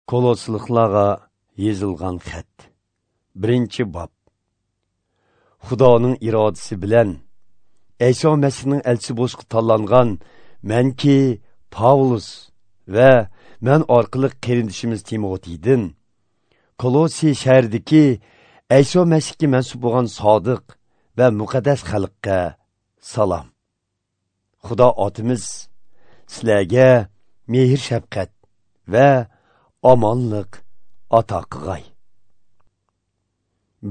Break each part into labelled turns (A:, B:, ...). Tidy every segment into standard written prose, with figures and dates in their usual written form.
A: Kolosliqlarga yozilgan xat. 1-bob. Xudoning irodasi bilan Ayso Masihning elchisi bo'lishga tanlangan menki Pavlus va men orqali qarindishimiz Timotiydan Kolosi shahridagi Ayso Masihga mansub bo'lgan sodiq va muqaddas xalqqa salom. Xudo otimiz sizlarga mehr shafqat va omonlik ato qilg'ay.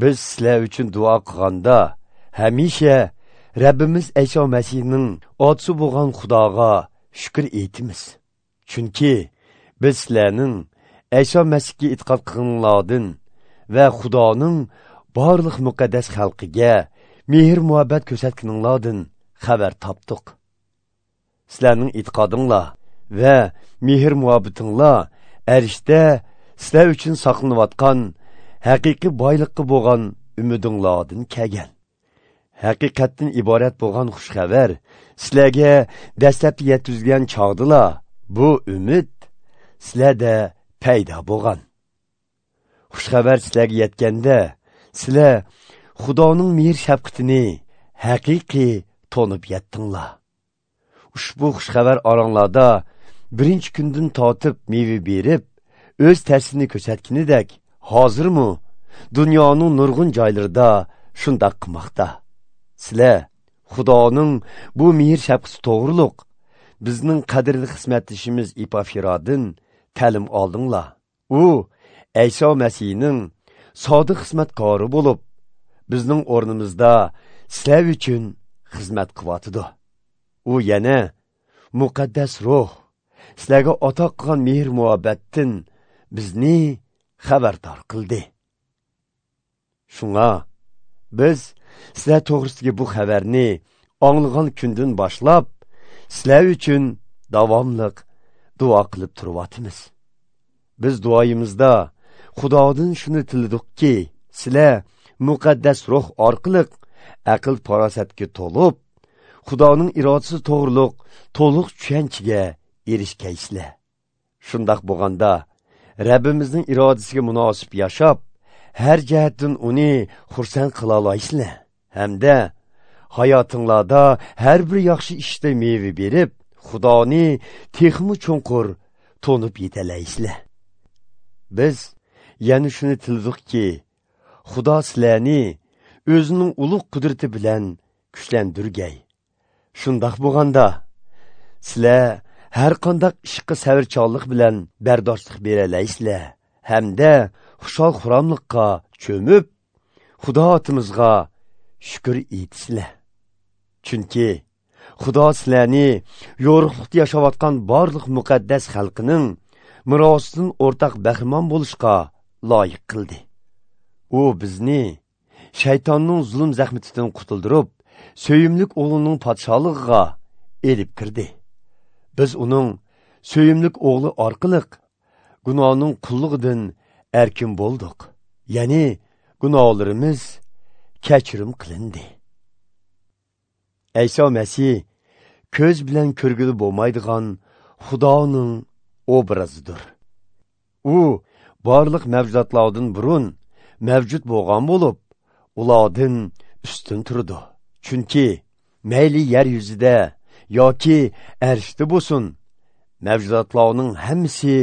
A: Biz sizlar uchun duo qilganda hamisha Rabbimiz Ayso Masihning otisi bo'lgan Xudoga shukr etamiz. Chunki biz sizlarning Ayso Masihga e'tiqod qilganlardan va Xudoning barliq muqaddas xalqiga mehr muhabbat ko'rsatganinglardan xabar topdik. Sizlarning e'tiqodinglar va mehr muhabbatinglar arshda sizlar uchun saqlanayotgan haqiqiy boyliqqa bo'lgan umidinglardan kelgan. Haqiqatdan iborat bo'lgan xush xabar sizlarga dastlabki yetkazilgan chog'dila bu umid sizlarda paydo bo'lgan. Xush xabar sizlarga yetganda sizlar Xudoning mehr shafqatini haqiqiy tonib yetdinglar. Ushbu xush xabar oranglarda birinchi kundan tortib meva berib, o'z ta'sirini ko'rsatganidek, hozirmi dunyoning nurg'un joylarida shundoq qilmoqda. Sizlar Xudoning bu mehr shafqati to'g'riliq bizning qadrli xizmatdishimiz Epafiradan ta'lim oldinglar. U Ayso Masihning sodiq xizmatkori bo'lib, bizning o'rnimizda sizlar uchun xizmat qilyotidi. U yana muqaddas ruh sizlarga ato qilgan mehr muhabbatdan bizni xabardor qildi. Shunga biz sizlar to'g'risidagi bu xabarni anglagan kundan boshlab sizlar uchun davomliq duo qilib turyapmiz. Biz duoyimizda Xudodan shuni tiladikki, sizlar muqaddas ruh orqali aql farosatga to'lib, Xudoning irodasi to'g'riliq to'liq tushunchaga erishgaysizlar. Shundoq bo'lganda Rabbimizning irodasiga munosib yashab, har jihatdan uni xursand qila olasizlar. Hamda hayotinglarda har bir yaxshi ishda meva berib, Xudoni texmi cho'nqur to'nib yetalaysizlar. Biz yana shuni tiladikki, Xudo sizlarni o'zining ulug' qudrati bilan kuchlantirgay. Shundoq bo'lganda sizlar har qanday ishga sabrchanlik bilan bardoshlik beralaysizlar hamda xushal xuramlikqa cho'mib, Xudo otimizga shukr etisizlar. Chunki Xudo sizlarni yo'riqlikda yashayotgan barliq muqaddas xalqining merosidan o'rtaq bahramon bo'lishga loyiq qildi. U bizni shaytonning zulm zahmatidan qutuldirib, suyimlik o'g'lining podsholig'iga elib kirdi. Biz uning suyimlik o'g'li orqali gunohning qullugidan erkin bo'ldik. Ya'ni gunohlarimiz kechirim qilindi. Ayso Masih ko'z bilan ko'rgili bo'lmaydigan Xudoning obrazidir. U barliq mavjudotlardan burun mavjud bo'lgan bo'lib, ulardan ustun turdi. Chunki mayli yer yuzida yoki arshda bo'lsin, mavjudotlarning hammasi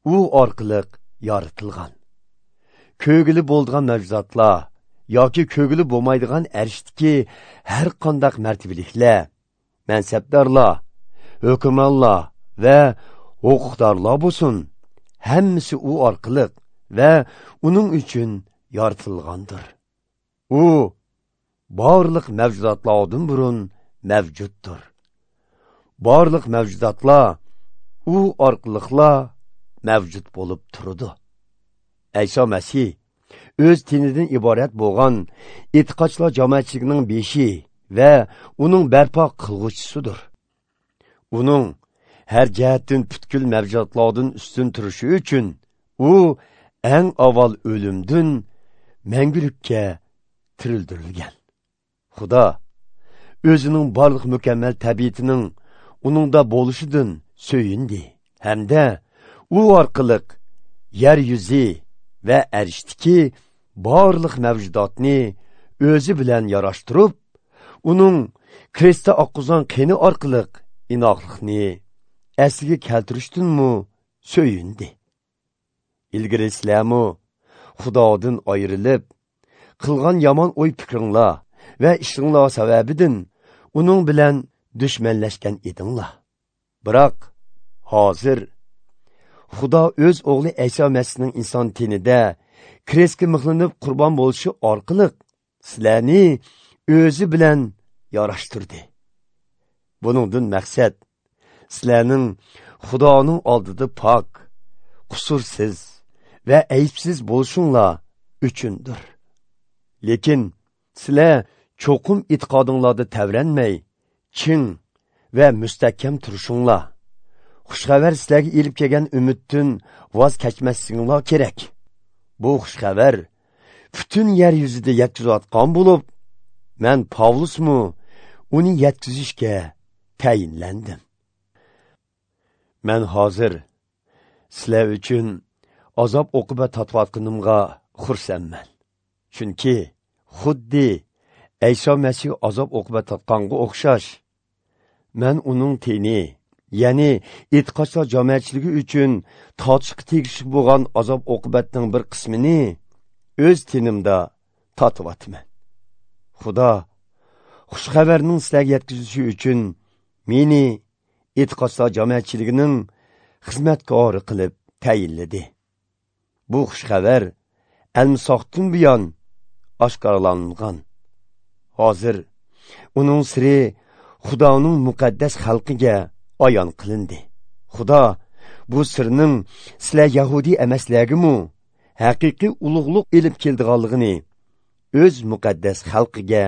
A: u orqali yaratilgan. Ko'gili bo'lgan mavjudotlar yoki ko'gili bo'lmaydigan arshdagi har qanday martabaliklar, mansabdorlar, hukmronlar va huquqdorlar bo'lsin, hammasi u orqali va uning uchun yaratilgandir. U barliq mavjudotlardan burun mavjuddir. Barliq mavjudotlar u orqaliqla mavjud bo'lib turdi. Ayso Masih o'z tinidan iborat bo'lgan e'tiqodchilar jamoatchiligining beshi va uning barpo qilg'uvchisidir. Uning har jihatdan butkul mavjudotlardan ustun turishi uchun u eng avval o'limdan mangulikka tirildirilgan. Xudo o'zining barliq mukammal tabiatining uningda bo'lishidan so'yindi hamda u orqali yer yuzi va arishdiki barliq mavjudotni o'zi bilan yarashtirib, uning krestda oqqizgan qeni orqali inoqlikni asliga keltirishdanmi so'yindi. Ilgari sizlarmi Xudodan ayrilib, qilgan yomon o'y fikringlar va ishinglar sababidan uning bilan dushmanlashgan edinglar. Biroq hozir Xudo o'z o'g'li Ayso Masihning inson tenida krestga mixlanib qurbon bo'lishi orqali sizlarni o'zi bilan yarashtirdi. Buningdan maqsad sizlarning Xudoning oldida pok, qusursiz va aybsiz bo'lishinglar uchundir. Lekin sizlar cho'qim e'tiqodinglarda tavranmay, ching va mustahkam turishinglar. Xushxabar sizlarga elib kelgan umiddan voz kechmasliginglar kerak. Bu xushxabar butun yer yuzida yetkazayotgan bo'lib, men Pavlusmu uni yetkazishga tayinlandim. Men hozir sizlar uchun azob uqubat tortayotganimga xursandman. Chunki xuddi Ayso Masih azob uqubat tortganga o'xshash, men uning teni, ya'ni e'tiqodchilar jamoatchiligi uchun tortishga tegishli bo'lgan azob uqubatning bir qismini o'z tenimda tortyapman. Xudo xushxabarning sizlarga yetkazilishi uchun meni e'tiqodchilar jamoatchiligining xizmatkori qilib tayinladi. Bu xushxabar almisoqdan buyon oshkorlangan. Hozir uning siri Xudoning muqaddas xalqiga ayon qilindi. Xudo bu sirning sizlar yahudiy emaslargimi haqiqiy ulug'liq elib keldiganligini o'z muqaddas xalqiga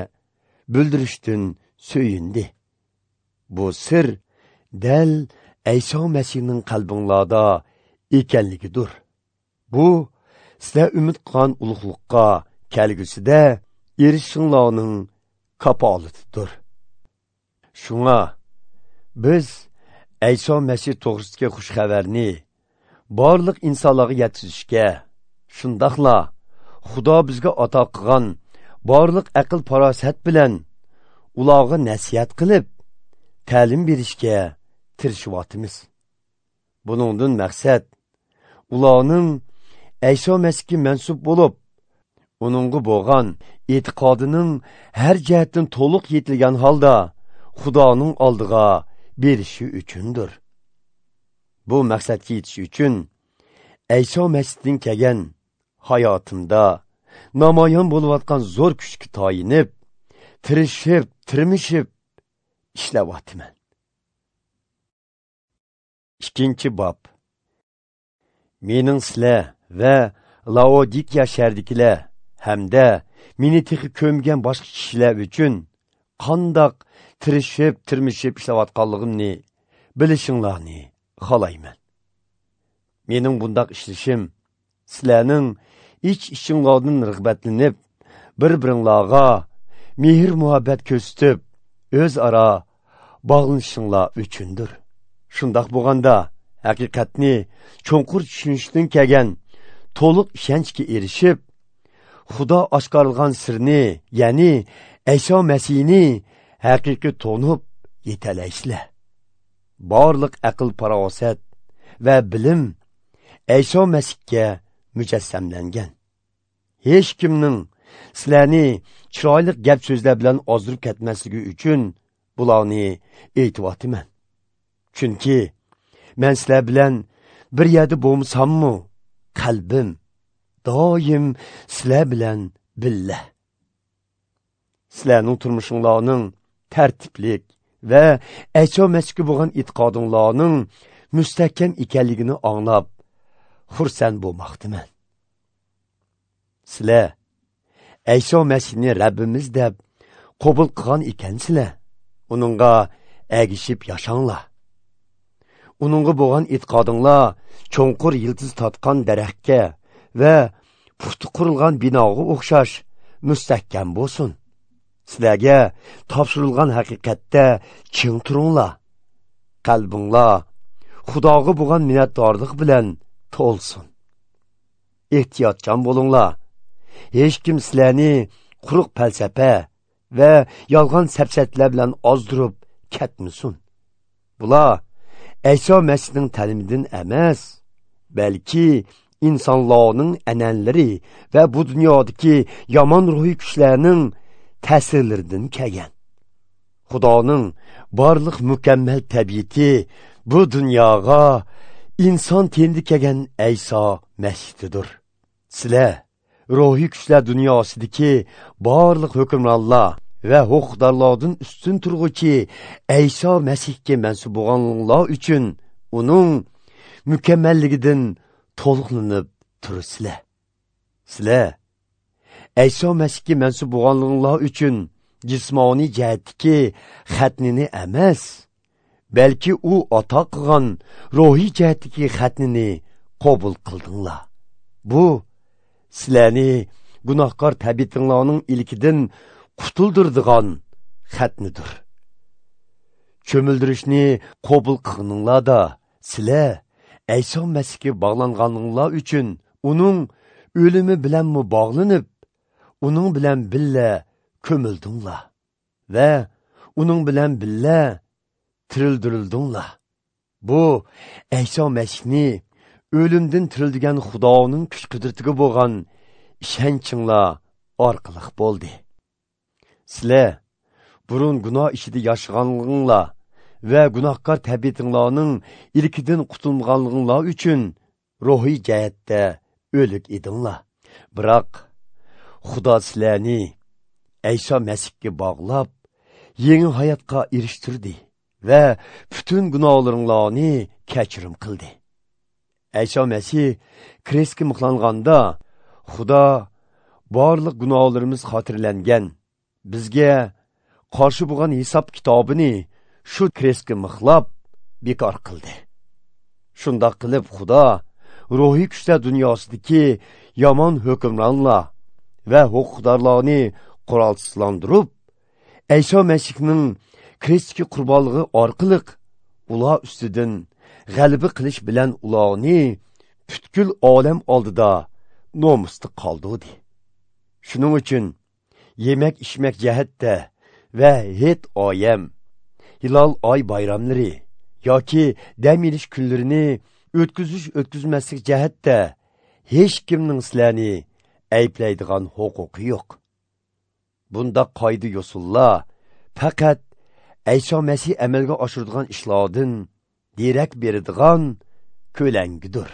A: bildirishdan so'yindi. Bu sir dal Ayso Masihning qalbinglarda ekanligidir. Bu sizlar umid qilgan ulug'liqqa kelgusida erishishinglarning kafolatidir. Shunga biz Ayso Masih to'g'risidagi xushxabarni barliq insonlarga yetkazishga, shundoqla Xudo bizga ato qilgan barliq aql farosat bilan ularga nasihat qilib, ta'lim berishga tirishyapmiz. Buningdan maqsad ularning Ayso Masihga mansub bo'lib, uningga bo'lgan e'tiqodining har jihatdan to'liq yetilgan holda Xudoning oldiga berishi uchundir. Bu maqsadga yetish uchun Ayso Masihdan kelgan hayotimda namoyon bo'layotgan zo'r kuchga tayinib, tirishib, tirmishib ishlayapman. 2-bob. Mening sizlar va Laodikiya shahridagilar hamda meni texi ko'mgan boshqa kishilar uchun qandoq tirishib, tirmishib ishlayotganligimni bilishinglarni xohlayman. Mening bundoq ishlashim sizlarning ich-ichinglardan rag'batlanib, bir-biringlarga mehr-muhabbat ko'rsatib, o'zaro bog'lanishinglar uchundir. Shundoq bo'lganda haqiqatni cho'nqur tushunishdan kelgan to'liq ishonchga erishib, Xudo oshkorlagan sirni, ya'ni Ayso Masihni haqiqiy to'nib yetalaysizlar. Barliq aql farosat va bilim Ayso Masihga mujassamlangan. Hech kimning sizlarni chiroyli gap so'zlar bilan ozdirib ketmasligi uchun bularni aytyapman. Chunki men sizlar bilan bir yerda bo'lmasammi, qalbim doim sizlar bilan billa. Sizlarning turmushinglarning tartiblik va Ayso Masihga bo'lgan e'tiqodinglarning mustahkam ekanligini anglab xursand bo'lmoqdaman. Sizlar Ayso Masihni Rabbimiz deb qabul qilgan ekansizlar, uningga ergishib yashanglar. Uningga bo'lgan e'tiqodinglar cho'nqur yildiz tortgan daraxtga va puxta qurilgan binoga o'xshash mustahkam bo'lsin. Sizlarga topshirilgan haqiqatda ching turinglar. Qalbinglar Xudoga bo'lgan minnatdorlik bilan to'lsin. Ehtiyotchan bo'linglar. Hech kim sizlarni quruq falsafa va yolg'on safsatlar bilan ozdirib ketmasin. Bular Ayso Masihning ta'limidan emas, balki insonlarning an'analari va bu dunyodagi yomon ruhiy kuchlarning ta'sirlaridan kelgan. Xudoning barliq mukammal tabiati bu dunyoga inson tenida kelgan Ayso Masihdir. Sizlar ruhiy kuchlar dunyosidagi barliq hukmronlar va huquqdorlardan ustun turg'uchi Ayso Masihga mansub bo'lganlar uchun uning mukammalligidan to'liqlanib turasizlar. Sizlar Ayso Masihga mansub bo'lganlar uchun jismoniy jihatdagi xatnini emas, balki u ato qilgan ruhiy jihatdagi xatnini qabul qildinglar. Bu sizlarni gunohkor tabiatinglarning ilkidan qutuldirdigan xatnidir. Cho'mildirishni qabul qilganinglarda sizlar Ayso Masihga bog'langaninglar uchun uning o'limi bilanmi bog'lanib, uning bilan billa ko'mildinglar va uning bilan billa tirildirildinglar. Bu Ayso Masihni o'limdan tirildigan Xudoning kuch-qudratiga bo'lgan ishonchinglar orqali bo'ldi. Sizlar burun gunoh ichida yashaganliginglar va gunohkor tabiatinglarning ilkidan qutulganliginglar uchun ruhiy jihatda o'lik edinglar. Biroq Xudo sizlarni Ayso Masihga bog'lab, yangi hayotga erishtirdi va butun gunohlaringlarni kechirim qildi. Ayso Masih krestga mixlanganda Xudo barliq gunohlarimiz xotirlangan, bizga qarshi bo'lgan hisob kitobini shu krestga mixlab bekor qildi. Shundoq qilib Xudo ruhiy kuchlar dunyosidagi yomon hukmronlar va huquqdorlarni qurolsizlantirib, Ayso Masihning krestga qurbonligi orqali ular ustidan g'alaba qilish bilan ularni butkul olam oldida nomusda qoldirdi. Shuning uchun yemak ichmak jihatda va het oyam, hilol oy bayramlari yoki dam olish kunlarini o'tkazish o'tkazmaslik jihatda hech kimning sizlarni ayblaydigan huquqi yo'q. Bunda qoida yo'sullar faqat Ayso Masih amalga oshiradigan ishlardan derak beradigan ko'langidir.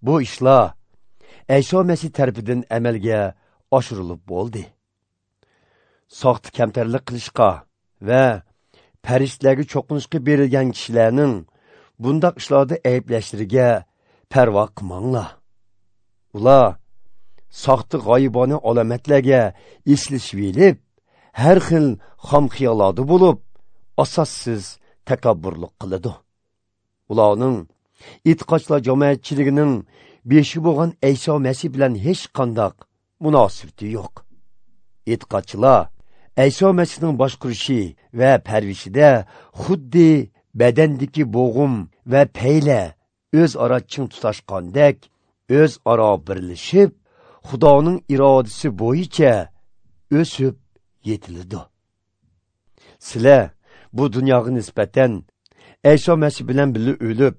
A: Bu ishlar Ayso Masih tarafidan amalga oshirilib bo'ldi. Soxta kamtarlik qilishga va farishtalarga cho'qinishga berilgan kishilarning bundaq ishlarda ayblashlariga parvo qilmanglar. Ular soxta g'oyibona alomatlarga eslashib elib, har xil xom xiyollarda bo'lib, asossiz takabburlik qiladi. Ularning e'tiqodchilar jamoatchiligining beshi bo'lgan Ayso Masih bilan hech qanday munosabati yo'q. E'tiqodchilar Ayso Masihning boshqurishi va parvishida xuddi badandagi bo'g'im va payla o'zaro ching tutashgandek o'zaro birlashib, Xudoning irodasi bo'yicha o'sib yetiladi. Sizlar bu dunyoga nisbatan Ayso Masih bilan birga o'lib,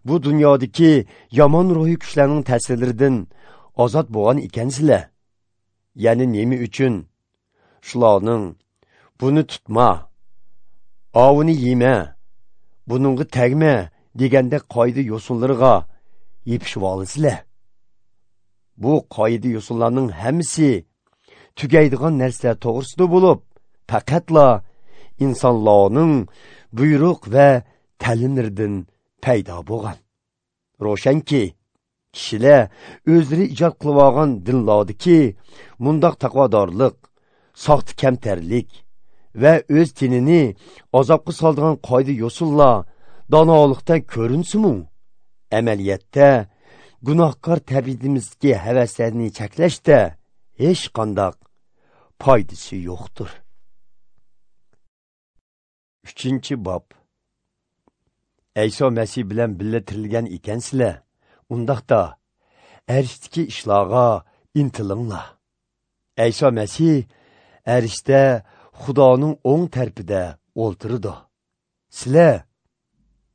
A: bu dunyodagi yomon ruhiy kuchlarning ta'sirlaridan ozod bo'lgan ekansizlar. Ya'ni nima uchun shularning buni tutma, ovini yema, buningga tegma deganda qoida yo'sinlarga yepishib olasizlar. Bu qoida yo'sinlarning hammasi tugaydigan narsalar to'g'risida bo'lib, faqatla insonlarning buyruq va ta'limlaridan paydo bo'lgan. Ro'shanki, kishilar o'zlari ijod qilib olgan dinlardagi mundoq taqvodorlik, soxta kamtarlik va o'z tenini azobga soladigan qoida yo'sinlar donolikdan ko'rinsin-mu, amaliyotda gunohkor tabiatimizdagi havaslarni cheklashda hech qanday foydasi yo'qdir. 3-bob. Ayso Masih bilan birga tirilgan ekansizlar, undaqda arishdagi ishlarga intilinglar. Ayso Masih arishda Xudoning o'ng tarafida o'ltiradi. Sizlar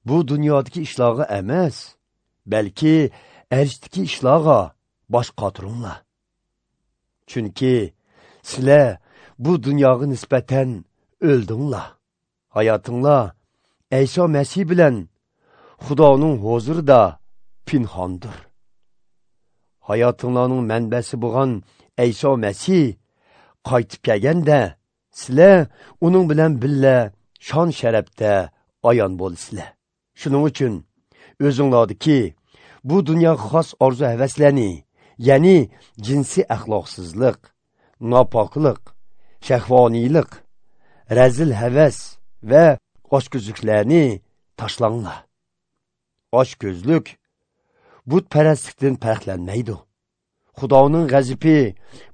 A: bu dunyodagi ishlarga emas, balki arishdagi ishlarga bosh qotiringlar. Chunki sizlar bu dunyoga nisbatan o'ldinglar. Hayotinglar Ayso Masih bilan Xudoning huzurida pinhondir. Hayotinglarning manbasi bo'lgan Ayso Masih qaytib kelganda sizlar uning bilan birga shon sharafda ayon bo'lasizlar. Shuning uchun o'zinglardagi bu dunyoga xos orzu havaslarni, ya'ni jinsiy axloqsizlik, nopoklik, shahvoniylik, razil havas va ochko'zliklarni tashlanglar. Ochko'zlik butparastlikdan farqlanmaydi. Xudoning g'azabi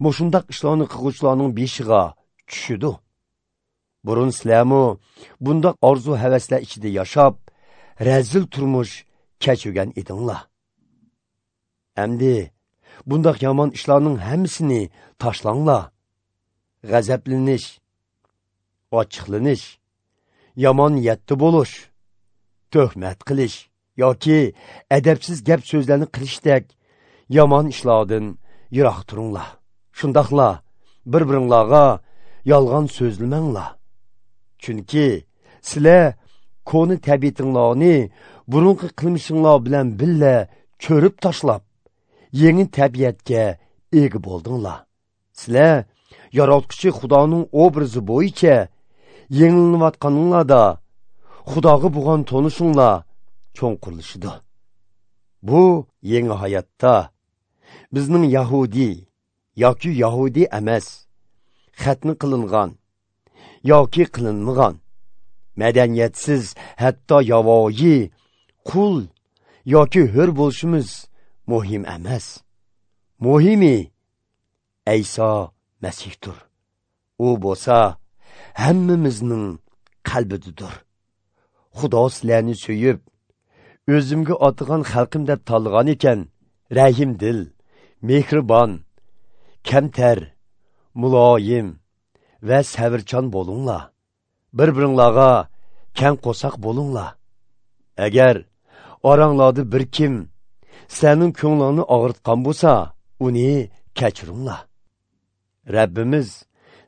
A: mushundaq ishlarni qilguvchilarning beshiga tushidi. Burun sizlarmi bundaq orzu havaslar ichida yashab, razil turmush kechirgan edinglar. Endi bundaq yomon ishlarning hammasini tashlanglar. G'azablanish, ochiqlanish, yomon niyatda bo'lish, tuhmat qilish yoki adabsiz gap so'zlarni qilishdek yomon ishlardan yiroq turinglar. Shundoqla bir-biringlarga yolg'on so'zlamanglar. Chunki sizlar ko'ni tabiatinglarni burunqi qilmishinglar bilan birga ko'rib tashlab, yangi tabiatga ega bo'ldinglar. Sizlar yaratquchi Xudoning obrazi bo'yicha yangilanayotganinglarda Xudoga bo'lgan tonishinglar cho'nqurlashidi. Bu yangi hayotda bizning Yahudi yoki Yahudi emas, xatni qilingan yoki qilinmagan, madaniyatsiz, hatto yavoyi, qul yoki hur bo'lishimiz muhim emas. Muhimi Ayso Masihdir. U bo'lsa hammamizning qalbidadir. Xudo sizlarni suyib, o'zimga otigan xalqim deb tanlagan ekan, rahimdil, mehribon, kamtar, muloyim va sabrchan bo'linglar. Bir-biringlarga keng qo'saq bo'linglar. Agar oranglarda bir kim sizlarning ko'nglingni og'ritgan bo'lsa, uni kechiringlar. Rabbimiz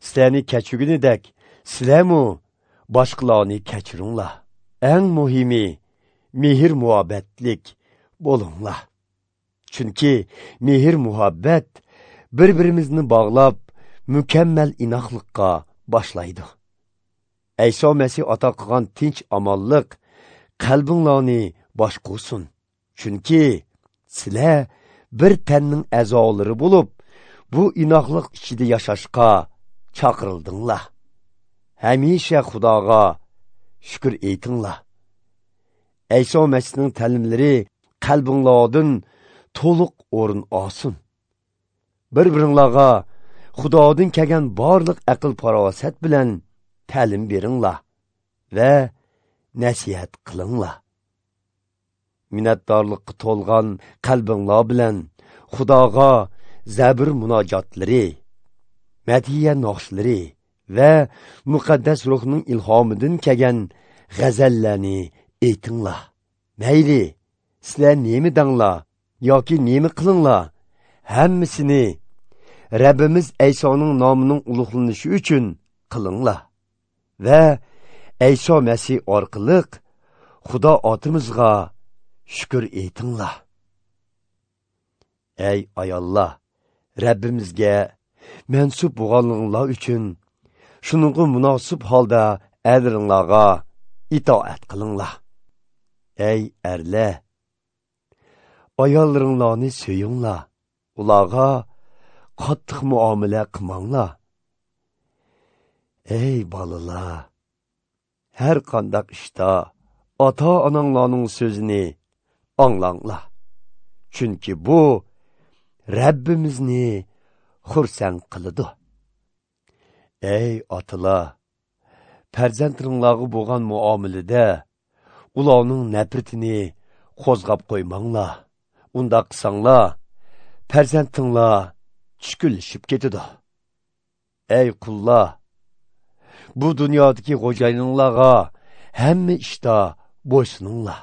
A: sizlarni kechirganidek, sizlarmi boshqalarni kechiringlar. Eng muhimi mehr muhabbatlik bo'linglar. Chunki mehr muhabbat bir-birimizni bog'lab, mukammal inoqlikqa boshlaydi. Ayso Masih ato qilgan tinch omonlik qalbinglarni boshqursin. Chunki sizlar bir tanning a'zolari bo'lib, bu inoqlik ichida yashashga chaqirildinglar. Hamisha Xudoga shukr aytinglar. Ayso Masihning ta'limlari qalbinglardan to'liq o'rin olsin. Bir-biringlarga Xudodan kelgan barliq aql farosat bilan ta'lim beringlar va nasihat qilinglar. Minnatdorlikqa to'lgan qalbinglar bilan Xudoga zabr munojotlari, madhiya naqshlari va muqaddas ruhning ilhomidan kelgan g'azallarni aytinglar. Mayli, sizlar nima danglar yoki nima qilinglar, hammasini Rabbimiz Aysoning nomining ulug'lanishi uchun qilinglar va Ayso Masih orqali Xudo otimizga shukr aytinglar. Ey ayollar, Rabbimizga mansub bo'lganinglar uchun shuningga munosib holda erlaringlarga itoat qilinglar. Ey erlar, ayollaringlarni suyinglar, ularga qattiq muomala qilmanglar. Ey bolalar, har qandaq ishda ota-onanglarning so'zini anglanglar. Chunki bu Rabbimizni xursand qiladi. Ey otalar, farzandlaringlarga bo'lgan muomalada ularning nafratini qo'zg'ab qo'ymanglar. Undaq qilsanglar, farzandinglar tushkunlashib ketadi. Ey qullar, bu dunyodagi xo'jayininglarga hamma ishda bo'ysuninglar.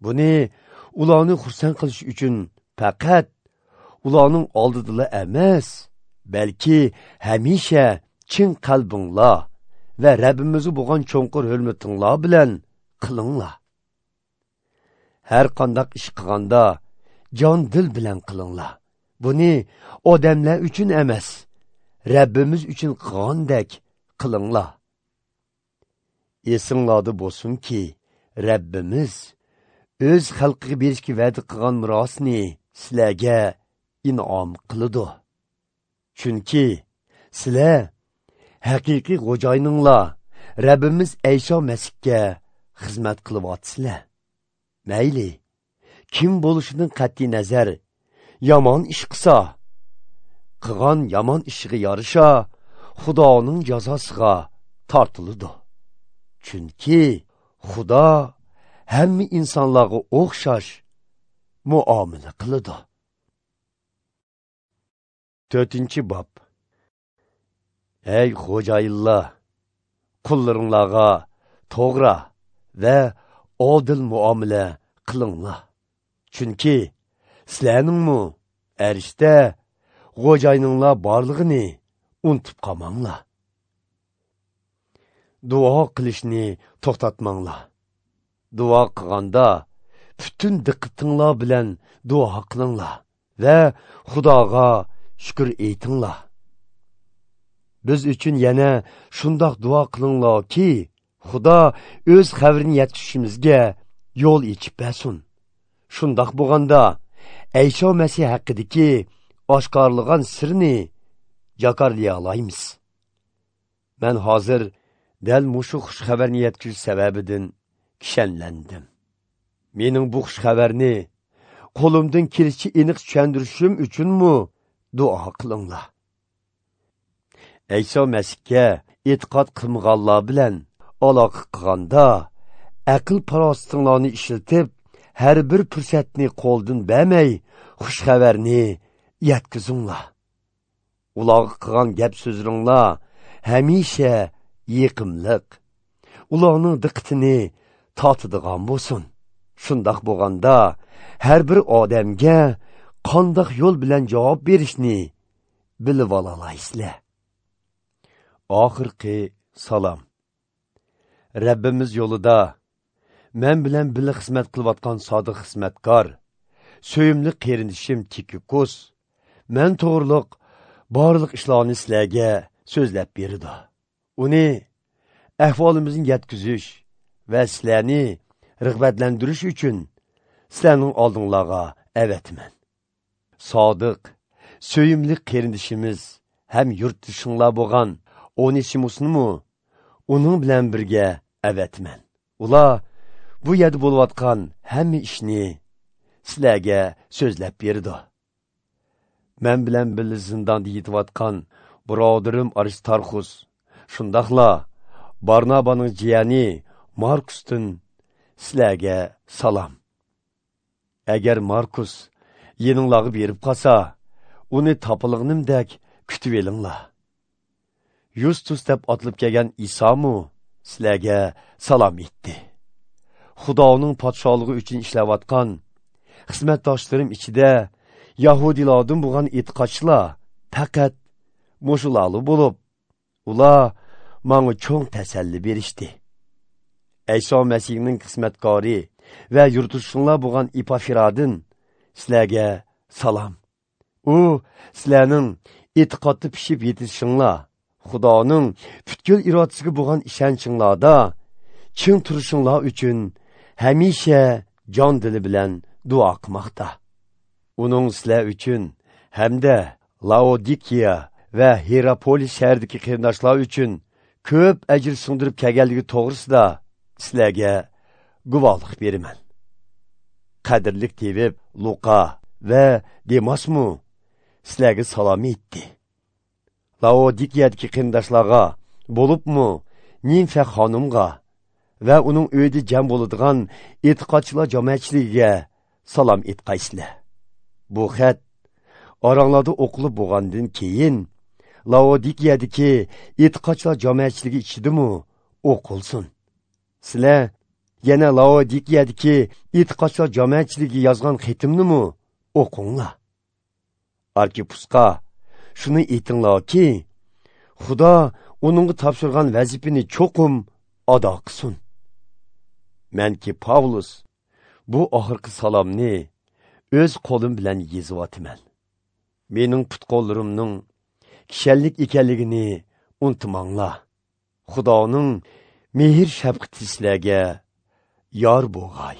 A: Buni ularni xursand qilish uchun faqat ularning oldidala emas, balki hamisha chin qalbinglar va Rabbimizga bo'lgan cho'nqur hurmatinglar bilan qilinglar. Har qanday ish qilganda jon dil bilan qilinglar. Buni odamlar uchun emas, Rabbimiz uchun qilgandek qilinglar. Esinglarda bo'lsinki, Rabbimiz o'z xalqiga berishga va'da qilgan merosni sizlarga in'om qiladi. Chunki sizlar haqiqiy xo'jayininglar Rabbimiz Ayso Masihga xizmat qilyapsizlar. Mayli, kim bo'lishidan qat'iy nazar yomon ish qilsa, qilgan yomon ishiga yarasha Xudoning jazosiga tortiladi. Chunki Xudo hamma insonlarga o'xshash muomala qiladi. 4-bob. Ey xo'jayinlar, qullaringlarga to'g'ri va odil muomala qilinglar. Chunki sizlarningmi arishda xo'jayininglar borlig'ini unutib qolmanglar. Duo qilishni to'xtatmanglar. Duo qilganda butun diqqatinglar bilan duo qilinglar va Xudoga shukr aytinglar. Biz uchun yana shundoq duo qilinglarki, Xudo o'z xabarini yetkazishimizga yo'l ochib bersin. Shundoq bo'lganda Ayso Masih haqidagi oshkorlagan sirni jakarlay olamiz. Men hozir dal mushu xush xabarni yetkazish sababidan kishanlandim. Mening bu xush xabarni qo'limdan kelishicha aniq tushuntirishim uchunmi duo qilinglar. Ayso Masihga e'tiqod qilmaganlar bilan aloqa qilganda aql farosatinglarni ishlatib, har bir fursatni qo'ldan bermay xush xabarni yetkazinglar. Ularga qilgan gap so'zlaringlar hamisha yiqimliq, ularning diqqatini tortadigan bo'lsin. Shundoq bo'lganda har bir odamga qandoq yo'l bilan javob berishni bilib olaysizlar. Oxirgi salom. Rabbimiz yo'lida men bilan birga xizmat qilayotgan sodiq xizmatkor, so'yimli qarindishim Tikikus men to'g'riliq barliq ishlarni sizlarga so'zlab berdi. Uni ahvolimizni yetkazish va sizlarni rag'batlantirish uchun sizlarning oldinglarga avatman. Sodiq, so'yimli qarindishimiz ham yurtdishinglar bo'lgan Onesimusni uning bilan birga avatman. Ular bu yerda bo'layotgan hamma ishni sizlarga so'zlab berdi. Men bilan birga zindonda yetayotgan birodarim Aristarxus, shundoqla Barnabaning jiyani Markusdan sizlarga salom. Agar Markus yeninglarga berib qolsa, uni topilg'inimdek kutib olinglar. Yustus deb otilib kelgan Isomu sizlarga salom etdi. Xudoning podshohligi uchun ishlayotgan xizmatdoshlarim ichida Yahudilardan bo'lgan e'tiqodchilar faqat mushularli bo'lib, ular menga cho'ng tasalli berishdi. Ayso Masihning xizmatkori va yurtdoshinglar bo'lgan Epafradan sizlarga salom. U sizlarning e'tiqodda pishib yetishinglar, Xudoning butkul irodasiga bo'lgan ishonchinglarda chin turishinglar uchun hamisha jon dili bilan duo qilmoqda. Uning sizlar uchun hamda Laodikiya va Hierapolis shahridagi qarindoshlar uchun ko'p ajr singdirib kelganligi to'g'risida sizlarga guvohlik beraman. Qadrli tevib Luqa va Demasmu sizlarga salom etdi. Laodikiyadagi qarindoshlarga, bo'libmi Nimfa xonimga va uning uyida jam bo'ladigan e'tiqodchilar jamoatchiligiga salom etqaysizlar. Bu xat Oranglarda o'qilib bo'lgandan keyin Laodikiyadagi e'tiqodchilar jamoatchiligi ichidimi o'qilsin. Sizlar yana Laodikiyadagi e'tiqodchilar jamoatchiligiga yozgan xatimnimi o'qinglar. Arkipusqa shuni aytinglarki, Xudo uningga topshirgan vazifani cho'qim ado qilsin. Menki Pavlus bu oxirgi salomni o'z qo'lim bilan yozyapman. Mening put-qo'llarimning kishanlik ekanligini unutmanglar. Xudoning mehr shafqati sizlarga yor bo'lg'ay.